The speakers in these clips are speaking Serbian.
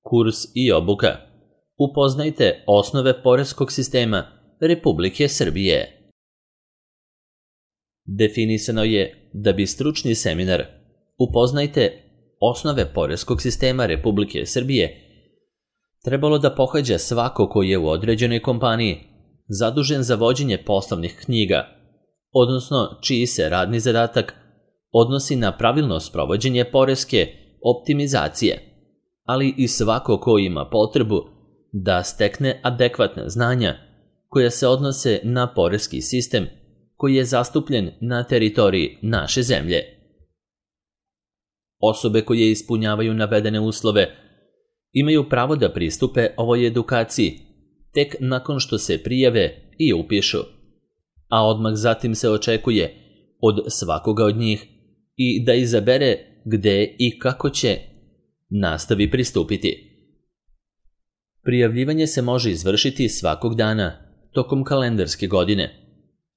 Kurs i obuka. Upoznajte osnove poreskog sistema Republike Srbije. Definisano je da bi stručni seminar Upoznajte osnove poreskog sistema Republike Srbije trebalo da pohađa svako ko je u određenoj kompaniji zadužen za vođenje poslovnih knjiga, odnosno čiji se radni zadatak odnosi na pravilno sprovođenje poreske optimizacije, ali i svako ko ima potrebu da stekne adekvatna znanja koja se odnose na poreski sistem koji je zastupljen na teritoriji naše zemlje. Osobe koje ispunjavaju navedene uslove imaju pravo da pristupe ovoj edukaciji tek nakon što se prijave i upišu, a odmah zatim se očekuje od svakoga od njih i da izabere gde i kako će nastavi pristupiti. Prijavljivanje se može izvršiti svakog dana tokom kalendarske godine,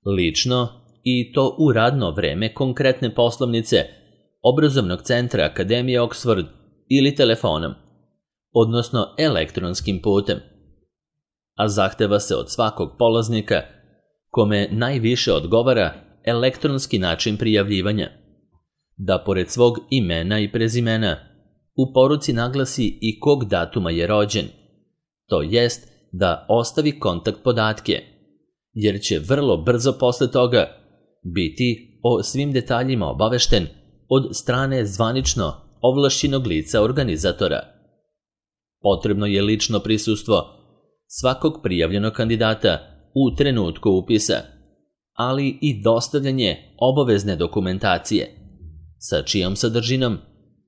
lično i to u radno vreme konkretne poslovnice obrazovnog centra Akademije Oxford ili telefonom, odnosno elektronskim putem, a zahteva se od svakog polaznika kome najviše odgovara elektronski način prijavljivanja, da pored svog imena i prezimena u poruci naglasi i kog datuma je rođen, to jest da ostavi kontakt podatke, jer će vrlo brzo posle toga biti o svim detaljima obavešten od strane zvanično ovlašćenog lica organizatora. Potrebno je lično prisustvo svakog prijavljenog kandidata u trenutku upisa, ali i dostavljanje obavezne dokumentacije, sa čijom sadržinom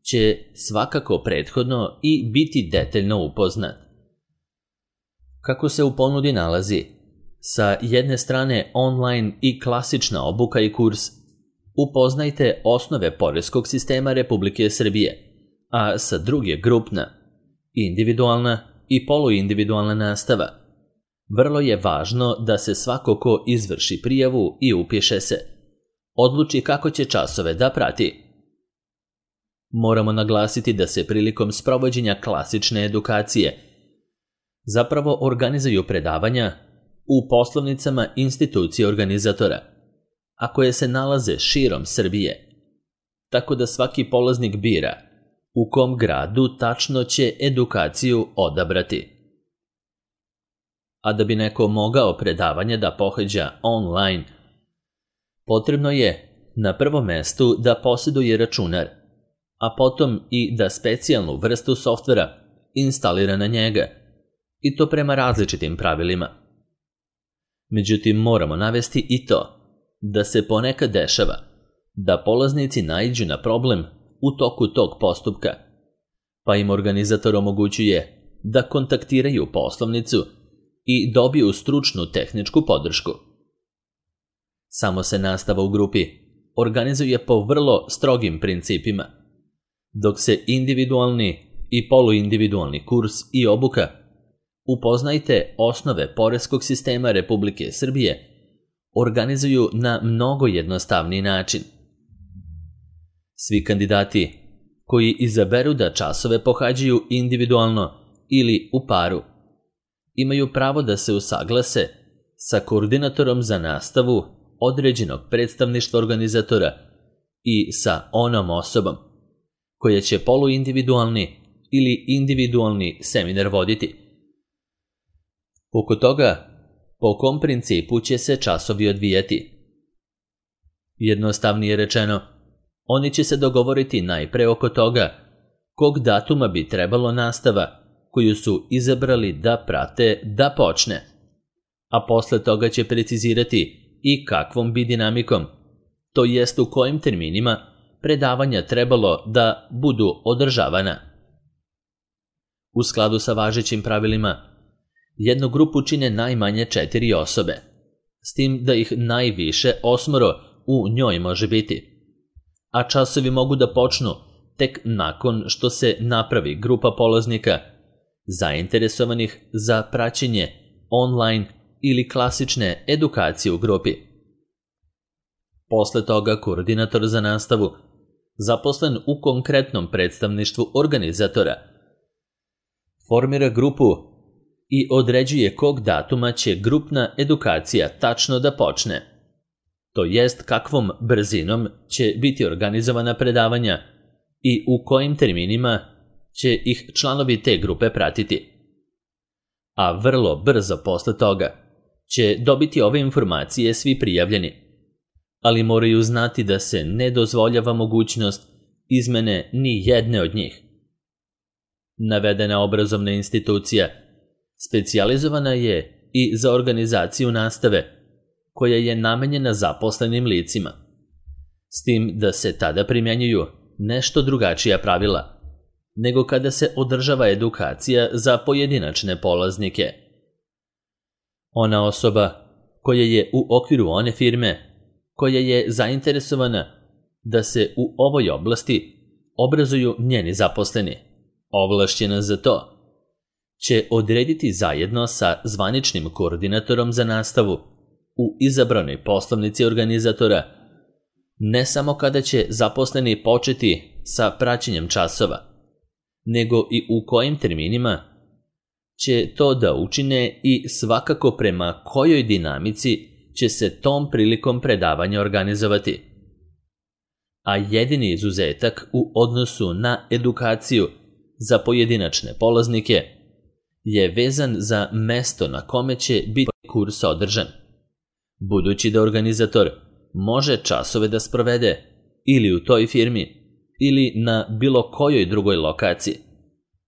će svakako prethodno i biti detaljno upoznat. Kako se u ponudi nalazi, sa jedne strane online i klasična obuka i kurs Upoznajte osnove poreskog sistema Republike Srbije, a sa druge grupna, individualna i poluindividualna nastava. Vrlo je važno da se svako ko izvrši prijavu i upiše se odluči kako će časove da prati. Moramo naglasiti da se prilikom sprovođenja klasične edukacije zapravo organizuju predavanja u poslovnicama institucije organizatora, a koje se nalaze širom Srbije, tako da svaki polaznik bira u kom gradu tačno će edukaciju odabrati. A da bi neko mogao predavanje da pohađa online, potrebno je na prvom mestu da posjeduje računar, a potom i da specijalnu vrstu softvera instalira na njega, i to prema različitim pravilima. Međutim, moramo navesti i to da se ponekad dešava da polaznici naiđu na problem u toku tog postupka, pa im organizator omogućuje da kontaktiraju poslovnicu i dobiju stručnu tehničku podršku. Samo se nastava u grupi organizuje po vrlo strogim principima, dok se individualni i poluindividualni kurs i obuka Upoznajte osnove poreskog sistema Republike Srbije organizuju na mnogo jednostavniji način. Svi kandidati koji izaberu da časove pohađaju individualno ili u paru imaju pravo da se usaglase sa koordinatorom za nastavu određenog predstavništva organizatora i sa onom osobom koja će poluindividualni ili individualni seminar voditi. Oko toga, po kom principu će se časovi odvijati? Jednostavnije rečeno, oni će se dogovoriti najpre oko toga kog datuma bi trebalo nastava koju su izabrali da prate da počne, a posle toga će precizirati i kakvom bi dinamikom, to jest u kojim terminima predavanja trebalo da budu održavana. U skladu sa važećim pravilima, jednu grupu čine najmanje 4 osobe, s tim da ih najviše 8 u njoj može biti, a časovi mogu da počnu tek nakon što se napravi grupa polaznika zainteresovanih za praćenje online ili klasične edukacije u grupi. Posle toga koordinator za nastavu, zaposlen u konkretnom predstavništvu organizatora, formira grupu i određuje kog datuma će grupna edukacija tačno da počne, to jest kakvom brzinom će biti organizovana predavanja i u kojim terminima će ih članovi te grupe pratiti. A vrlo brzo posle toga će dobiti ove informacije svi prijavljeni, ali moraju znati da se ne dozvoljava mogućnost izmene ni jedne od njih. Navedena obrazovna institucija specijalizovana je i za organizaciju nastave, koja je namenjena zaposlenim licima, s tim da se tada primjenjuju nešto drugačija pravila nego kada se održava edukacija za pojedinačne polaznike. Ona osoba koja je u okviru one firme koja je zainteresovana da se u ovoj oblasti obrazuju njeni zaposleni, ovlašćena za to, će odrediti zajedno sa zvaničnim koordinatorom za nastavu u izabranoj poslovnici organizatora ne samo kada će zaposleni početi sa praćenjem časova, nego i u kojim terminima će to da učine i svakako prema kojoj dinamici će se tom prilikom predavanja organizovati. A jedini izuzetak u odnosu na edukaciju za pojedinačne polaznike je vezan za mesto na kome će biti kurs održan, budući da organizator može časove da sprovede ili u toj firmi ili na bilo kojoj drugoj lokaciji,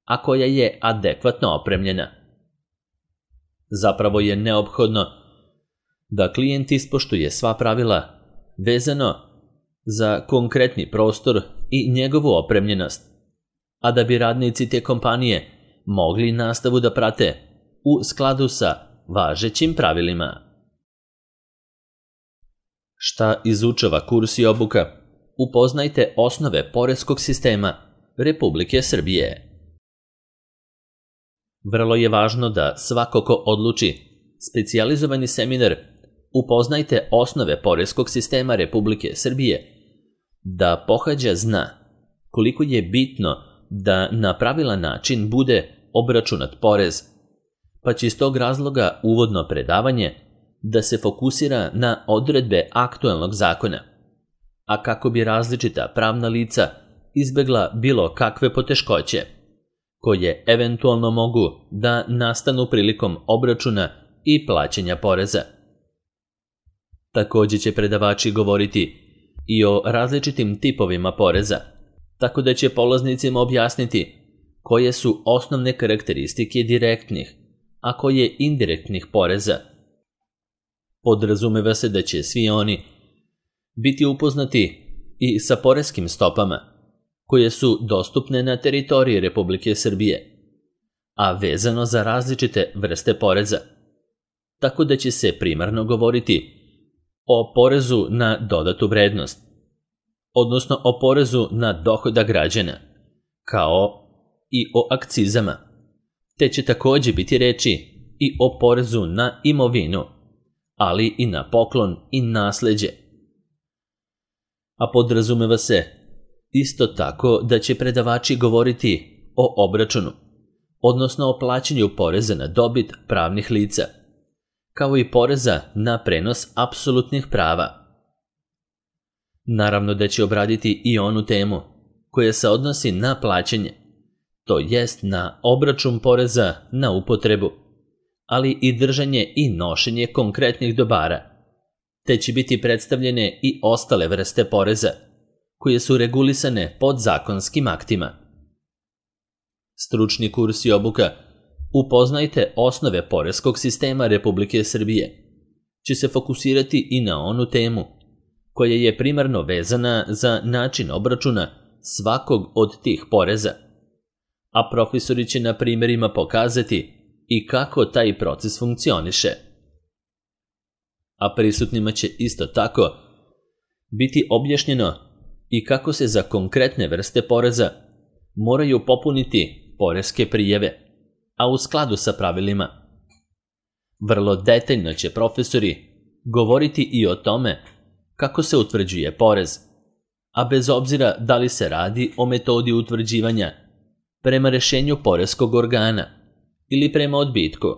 a koja je adekvatno opremljena. Zapravo je neophodno da klijent ispoštuje sva pravila vezano za konkretni prostor i njegovu opremljenost, a da bi radnici te kompanije mogli nastavu da prate u skladu sa važećim pravilima. Šta izučava kurs i obuka? Upoznajte osnove poreskog sistema Republike Srbije. Vrlo je važno da svako ko odluči specijalizovani seminar Upoznajte osnove poreskog sistema Republike Srbije da pohađa zna koliko je bitno da na pravilan način bude obračunat porez, pa će iz tog razloga uvodno predavanje da se fokusira na odredbe aktuelnog zakona, a kako bi različita pravna lica izbegla bilo kakve poteškoće, koje eventualno mogu da nastanu prilikom obračuna i plaćanja poreza. Takođe će predavači govoriti i o različitim tipovima poreza, tako da će polaznicima objasniti koje su osnovne karakteristike direktnih, a koje indirektnih poreza. Podrazumeva se da će svi oni biti upoznati i sa poreskim stopama, koje su dostupne na teritoriji Republike Srbije, a vezano za različite vrste poreza, tako da će se primarno govoriti o porezu na dodatu vrednost, odnosno o porezu na dohodak građana, kao i o akcizama, te će takođe biti reči i o porezu na imovinu, ali i na poklon i nasleđe. A podrazumeva se isto tako da će predavači govoriti o obračunu, odnosno o plaćanju poreza na dobit pravnih lica, kao i poreza na prenos apsolutnih prava. Naravno da će obraditi i onu temu koja se odnosi na plaćanje, to jest na obračun poreza na upotrebu, ali i držanje i nošenje konkretnih dobara, te će biti predstavljene i ostale vrste poreza, koje su regulisane podzakonskim aktima. Stručni kurs i obuka Upoznajte osnove poreskog sistema Republike Srbije će se fokusirati i na onu temu koja je primarno vezana za način obračuna svakog od tih poreza, a profesori će na primjerima pokazati i kako taj proces funkcioniše. A prisutnima će isto tako biti objašnjeno i kako se za konkretne vrste poreza moraju popuniti poreske prijave, a u skladu sa pravilima. Vrlo detaljno će profesori govoriti i o tome kako se utvrđuje porez, a bez obzira da li se radi o metodi utvrđivanja prema rešenju poreskog organa ili prema odbitku,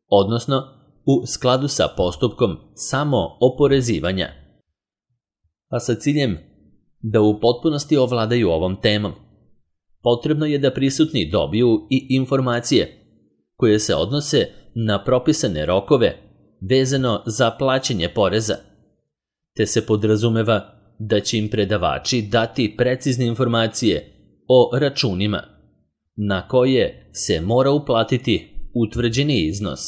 odnosno u skladu sa postupkom samo oporezivanja, a sa ciljem da u potpunosti ovladaju ovom temom. Potrebno je da prisutni dobiju i informacije koje se odnose na propisane rokove vezano za plaćanje poreza, te se podrazumeva da će im predavači dati precizne informacije o računima na koje se mora uplatiti utvrđeni iznos.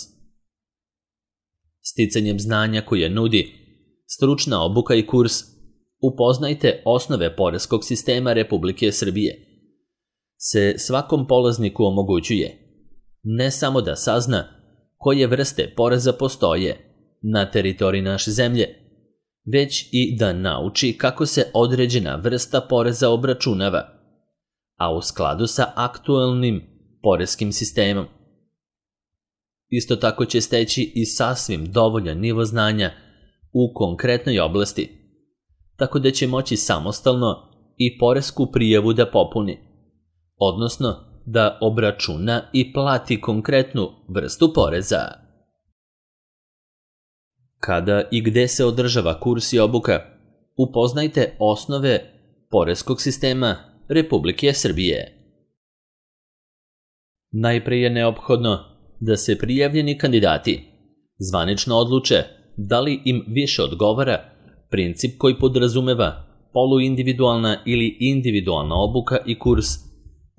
Sticanjem znanja koje nudi stručna obuka i kurs Upoznajte osnove poreskog sistema Republike Srbije se svakom polazniku omogućuje ne samo da sazna koje vrste poreza postoje na teritoriji naše zemlje, već i da nauči kako se određena vrsta poreza obračunava, a u skladu sa aktuelnim poreskim sistemom. Isto tako će steći i sasvim dovoljan nivo znanja u konkretnoj oblasti, tako da će moći samostalno i poresku prijavu da popuni, odnosno da obračuna i plati konkretnu vrstu poreza. Kada i gde se održava kurs i obuka, upoznajte osnove poreskog sistema Republike Srbije. Najpre je neophodno da se prijavljeni kandidati zvanično odluče da li im više odgovara princip koji podrazumeva poluindividualna ili individualna obuka i kurs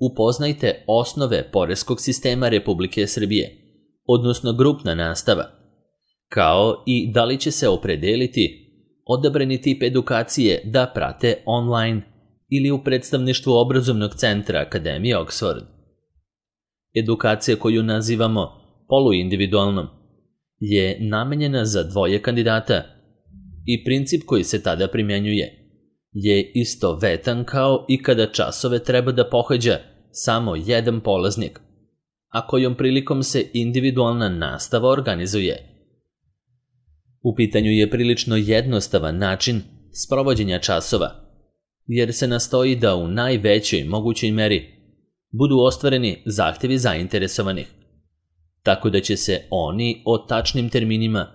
Upoznajte osnove poreskog sistema Republike Srbije, odnosno grupna nastava, kao i da li će se opredeliti odabrani tip edukacije da prate online ili u predstavništvu obrazovnog centra Akademije Oxford. Edukacija koju nazivamo poluindividualnom je namenjena za dvoje kandidata i princip koji se tada primenjuje je istovetan kao i kada časove treba da pohađa samo jedan polaznik, a kojom prilikom se individualna nastava organizuje. U pitanju je prilično jednostavan način sprovođenja časova, jer se nastoji da u najvećoj mogućoj meri budu ostvareni zahtevi zainteresovanih, tako da će se oni o tačnim terminima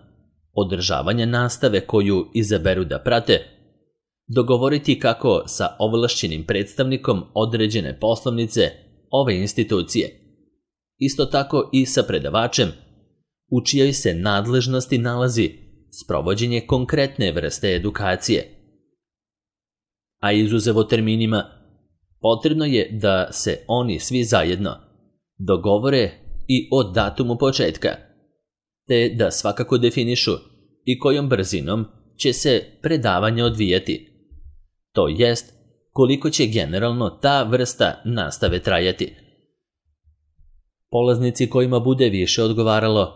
održavanja nastave koju izaberu da prate dogovoriti kako sa ovlašćenim predstavnikom određene poslovnice ove institucije, isto tako i sa predavačem u čijoj se nadležnosti nalazi sprovođenje konkretne vrste edukacije. A izuzev o terminima, potrebno je da se oni svi zajedno dogovore i o datumu početka, te da svakako definišu i kojom brzinom će se predavanje odvijati, to jest koliko će generalno ta vrsta nastave trajati. Polaznici kojima bude više odgovaralo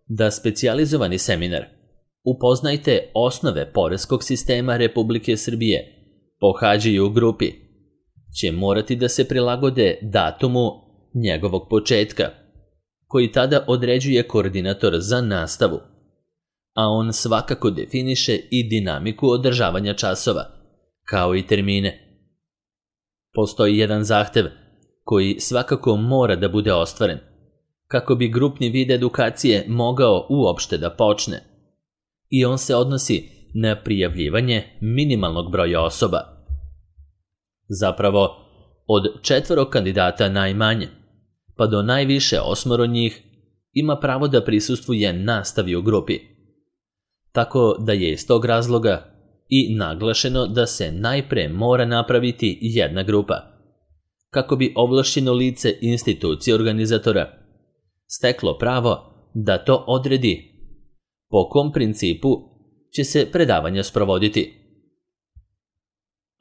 da specijalizovani seminar Upoznajte osnove poreskog sistema Republike Srbije pohađaju u grupi, će morati da se prilagode datumu njegovog početka, koji tada određuje koordinator za nastavu, a on svakako definiše i dinamiku održavanja časova, kao i termine. Postoji jedan zahtev koji svakako mora da bude ostvaren, kako bi grupni vid edukacije mogao uopšte da počne, i on se odnosi na prijavljivanje minimalnog broja osoba. Zapravo, od 4 kandidata najmanje, pa do najviše 8 njih, ima pravo da prisustvuje nastavi u grupi. Tako da je iz tog razloga i naglašeno da se najpre mora napraviti jedna grupa, kako bi ovlašćeno lice institucije organizatora steklo pravo da to odredi po kom principu će se predavanja sprovoditi.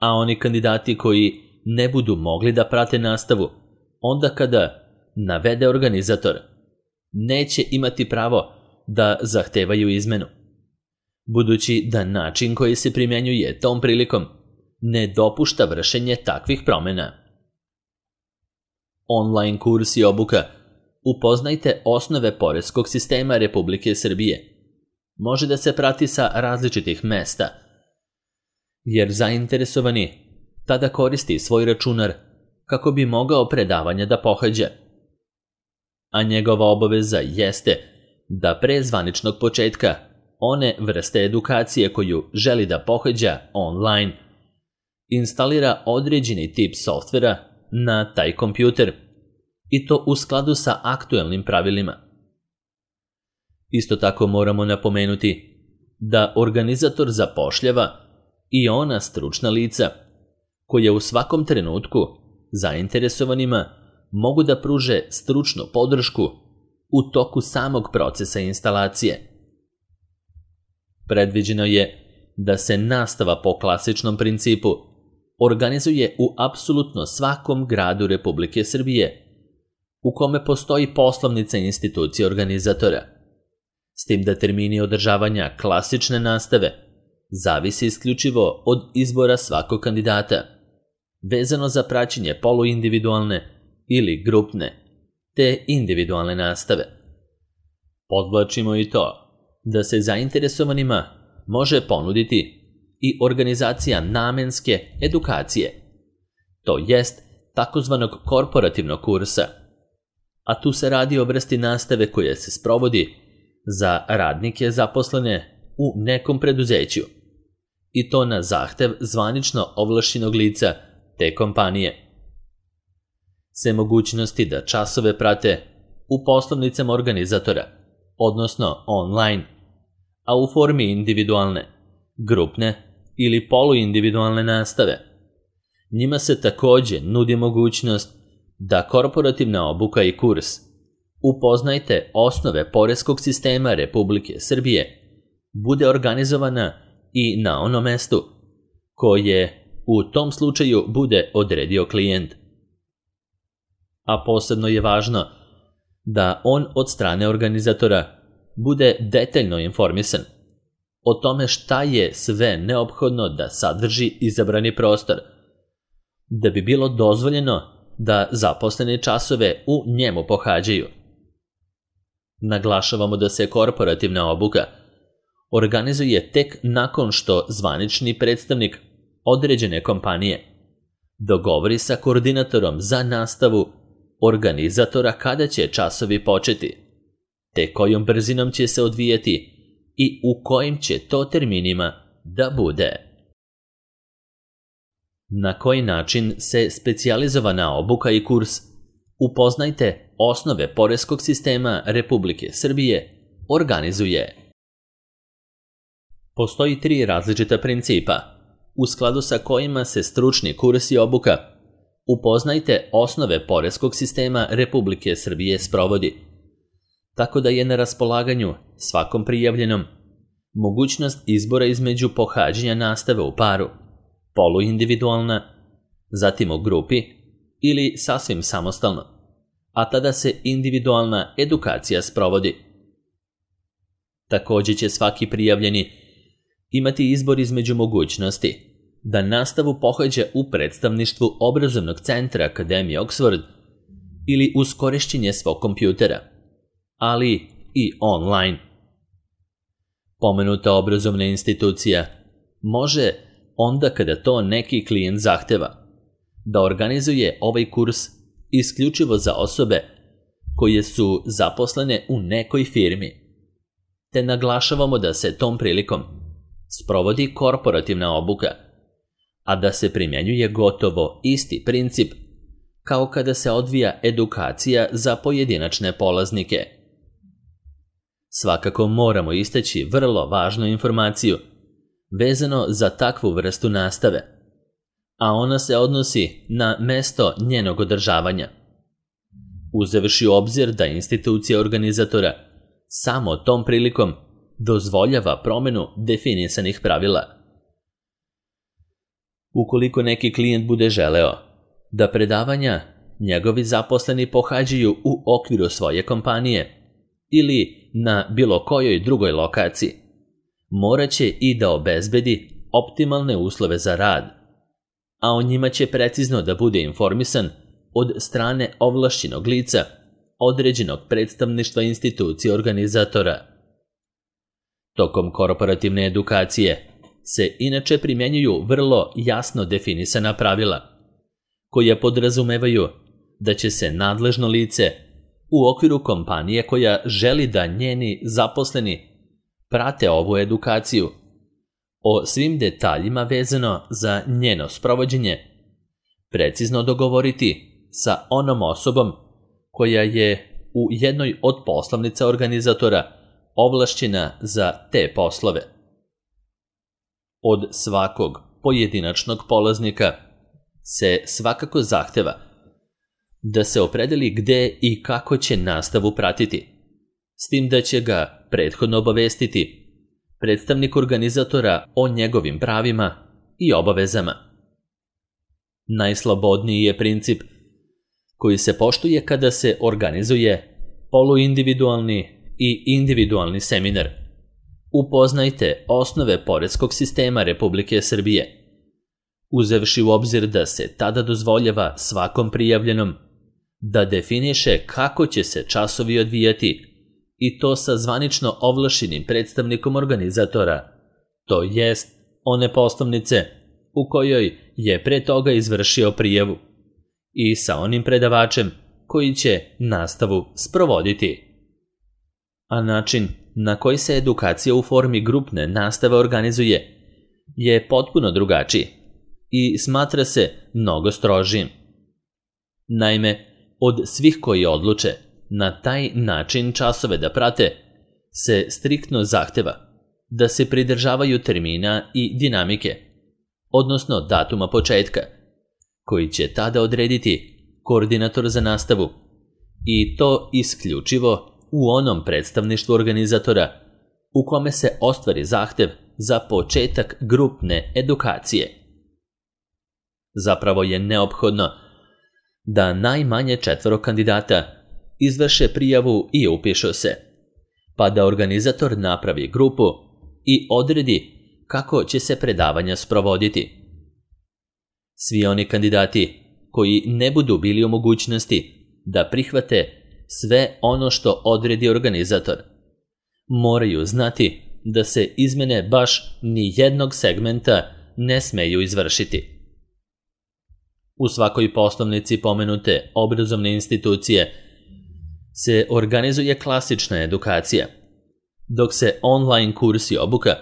A oni kandidati koji ne budu mogli da prate nastavu, onda kada navede organizator, neće imati pravo da zahtevaju izmenu, budući da način koji se primjenjuje tom prilikom ne dopušta vršenje takvih promjena. Online kurs i obuka Upoznajte osnove poreskog sistema Republike Srbije može da se prati sa različitih mesta, jer zainteresovani tada koristi svoj računar kako bi mogao predavanja da pohađa. A njegova obaveza jeste da pre zvaničnog početka one vrste edukacije koju želi da pohađa online instalira određeni tip softvera na taj kompjuter i to u skladu sa aktuelnim pravilima. Isto tako moramo napomenuti da organizator zapošljava i ona stručna lica koja u svakom trenutku zainteresovanima mogu da pruže stručnu podršku u toku samog procesa instalacije. Predviđeno je da se nastava po klasičnom principu organizuje u apsolutno svakom gradu Republike Srbije u kome postoji poslovnica institucije organizatora, s tim da termini održavanja klasične nastave zavisi isključivo od izbora svakog kandidata, vezano za praćenje poluindividualne ili grupne, te individualne nastave. Podvlačimo i to da se zainteresovanima može ponuditi i organizacija namenske edukacije, to jest takozvanog korporativnog kursa, a tu se radi o vrsti nastave koja se sprovodi za radnike zaposlene u nekom preduzeću, i to na zahtev zvanično ovlašćenog lica te kompanije. Se mogućnosti da časove prate u poslovnicama organizatora, odnosno online, a u formi individualne, grupne ili poluindividualne nastave. Njima se takođe nudi mogućnost da korporativna obuka i kurs Upoznajte osnove poreskog sistema Republike Srbije bude organizovana i na ono mestu koje u tom slučaju bude odredio klijent. A posebno je važno da on od strane organizatora bude detaljno informisan o tome šta je sve neophodno da sadrži izabrani prostor, da bi bilo dozvoljeno da zaposlene časove u njemu pohađaju. Naglašavamo da se korporativna obuka organizuje tek nakon što zvanični predstavnik određene kompanije dogovori sa koordinatorom za nastavu organizatora kada će časovi početi, te kojom brzinom će se odvijati i u kojim će to terminima da bude. Na koji način se specijalizovana obuka i kurs Upoznajte osnove poreskog sistema Republike Srbije organizuje. Postoji 3 različita principa, u skladu sa kojima se stručni kurs i obuka Upoznajte osnove poreskog sistema Republike Srbije sprovodi, tako da je na raspolaganju svakom prijavljenom mogućnost izbora između pohađanja nastave u paru, poluindividualna, zatim u grupi ili sasvim samostalno, a tada se individualna edukacija sprovodi. Takođe će svaki prijavljeni imati izbor između mogućnosti da nastavu pohađa u predstavništvu obrazovnog centra Akademije Oxford ili uz korišćenje svog kompjutera, ali i online. Pomenuta obrazovna institucija može, onda kada to neki klijent zahteva, da organizuje ovaj kurs isključivo za osobe koje su zaposlene u nekoj firmi, te naglašavamo da se tom prilikom sprovodi korporativna obuka, a da se primjenjuje gotovo isti princip kao kada se odvija edukacija za pojedinačne polaznike. Svakako moramo istaći vrlo važnu informaciju vezano za takvu vrstu nastave, a ona se odnosi na mesto njenog održavanja. Uzevši u obzir da institucija organizatora samo tom prilikom dozvoljava promenu definisanih pravila. Ukoliko neki klijent bude želeo da predavanja njegovi zaposleni pohađaju u okviru svoje kompanije ili na bilo kojoj drugoj lokaciji, moraće i da obezbedi optimalne uslove za rad, a o njima će precizno da bude informisan od strane ovlašćenog lica određenog predstavništva institucije organizatora. Tokom korporativne edukacije se inače primjenjuju vrlo jasno definisana pravila, koja podrazumevaju da će se nadležno lice u okviru kompanije koja želi da njeni zaposleni prate ovu edukaciju o svim detaljima vezano za njeno sprovođenje precizno dogovoriti sa onom osobom koja je u jednoj od poslovnica organizatora ovlašćena za te poslove. Od svakog pojedinačnog polaznika se svakako zahteva da se opredeli gde i kako će nastavu pratiti, s tim da će ga prethodno obavestiti predstavnik organizatora o njegovim pravima i obavezama. Najslobodniji je princip koji se poštuje kada se organizuje poluindividualni i individualni seminar. Upoznajte osnove poreskog sistema Republike Srbije, uzevši u obzir da se tada dozvoljava svakom prijavljenom da definiše kako će se časovi odvijati, i to sa zvanično ovlašćenim predstavnikom organizatora, to jest one poslovnice u kojoj je pre toga izvršio prijavu, i sa onim predavačem koji će nastavu sprovoditi. A način na koji se edukacija u formi grupne nastave organizuje je potpuno drugačiji i smatra se mnogo strožijim. Naime, od svih koji odluče na taj način časove da prate, se striktno zahteva da se pridržavaju termina i dinamike, odnosno datuma početka, koji će tada odrediti koordinator za nastavu, i to isključivo u onom predstavništvu organizatora u kome se ostvari zahtev za početak grupne edukacije. Zapravo je neophodno da najmanje 4 kandidata izvrše prijavu i upišu se, pa da organizator napravi grupu i odredi kako će se predavanja sprovoditi. Svi oni kandidati koji ne budu bili u mogućnosti da prihvate sve ono što odredi organizator, moraju znati da se izmene baš ni jednog segmenta ne smeju izvršiti. U svakoj poslovnici pomenute obrazovne institucije se organizuje klasična edukacija, dok se online kursi obuka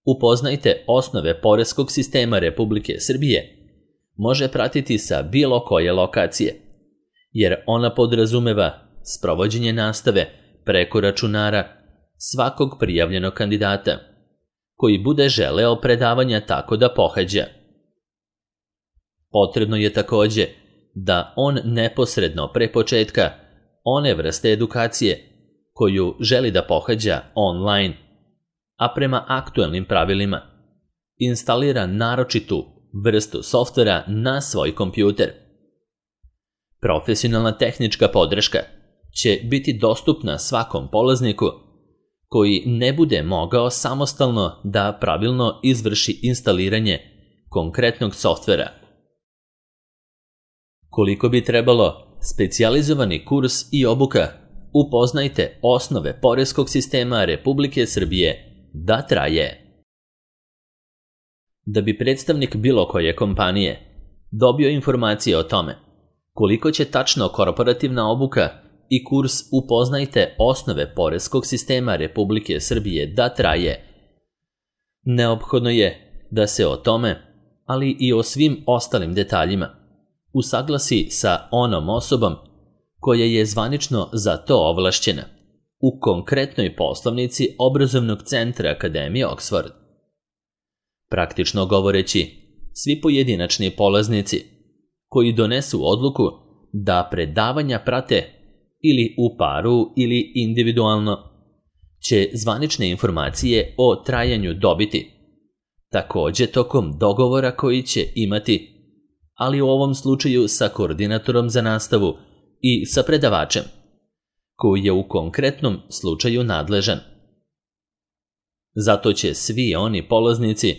Upoznajte osnove poreskog sistema Republike Srbije može pratiti sa bilo koje lokacije, jer ona podrazumeva sprovođenje nastave preko računara svakog prijavljenog kandidata, koji bude želeo predavanja tako da pohađa. Potrebno je takođe da on neposredno pre početka one vrste edukacije koju želi da pohađa online, a prema aktuelnim pravilima, instalira naročitu vrstu softvera na svoj kompjuter. Profesionalna tehnička podrška će biti dostupna svakom polazniku koji ne bude mogao samostalno da pravilno izvrši instaliranje konkretnog softvera. Koliko bi trebalo specijalizovani kurs i obuka Upoznajte osnove poreskog sistema Republike Srbije da traje. Da bi predstavnik bilo koje kompanije dobio informacije o tome koliko će tačno korporativna obuka i kurs Upoznajte osnove poreskog sistema Republike Srbije da traje, neophodno je da se o tome, ali i o svim ostalim detaljima, usaglasi sa onom osobom koja je zvanično za to ovlašćena u konkretnoj poslovnici obrazovnog centra Akademije Oxford. Praktično govoreći, svi pojedinačni polaznici koji donesu odluku da predavanja prate ili u paru ili individualno, će zvanične informacije o trajanju dobiti, takođe tokom dogovora koji će imati, ali u ovom slučaju sa koordinatorom za nastavu i sa predavačem, koji je u konkretnom slučaju nadležan. Zato će svi oni polaznici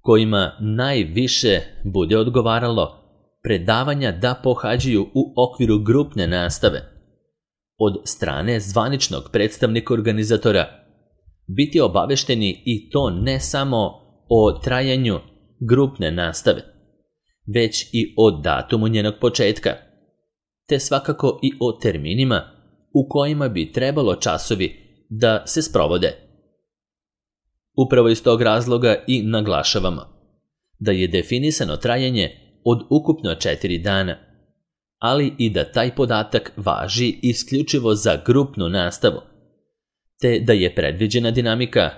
kojima najviše bude odgovaralo predavanja da pohađaju u okviru grupne nastave od strane zvaničnog predstavnika organizatora biti obavešteni, i to ne samo o trajanju grupne nastave, već i o datumu njenog početka, te svakako i o terminima u kojima bi trebalo časovi da se sprovode. Upravo iz tog razloga i naglašavamo da je definisano trajanje od ukupno 4 dana, ali i da taj podatak važi isključivo za grupnu nastavu, te da je predviđena dinamika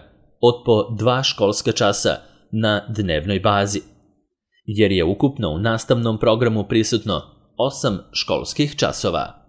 od po 2 školska časa na dnevnoj bazi, jer je ukupno u nastavnom programu prisutno 8 školskih časova.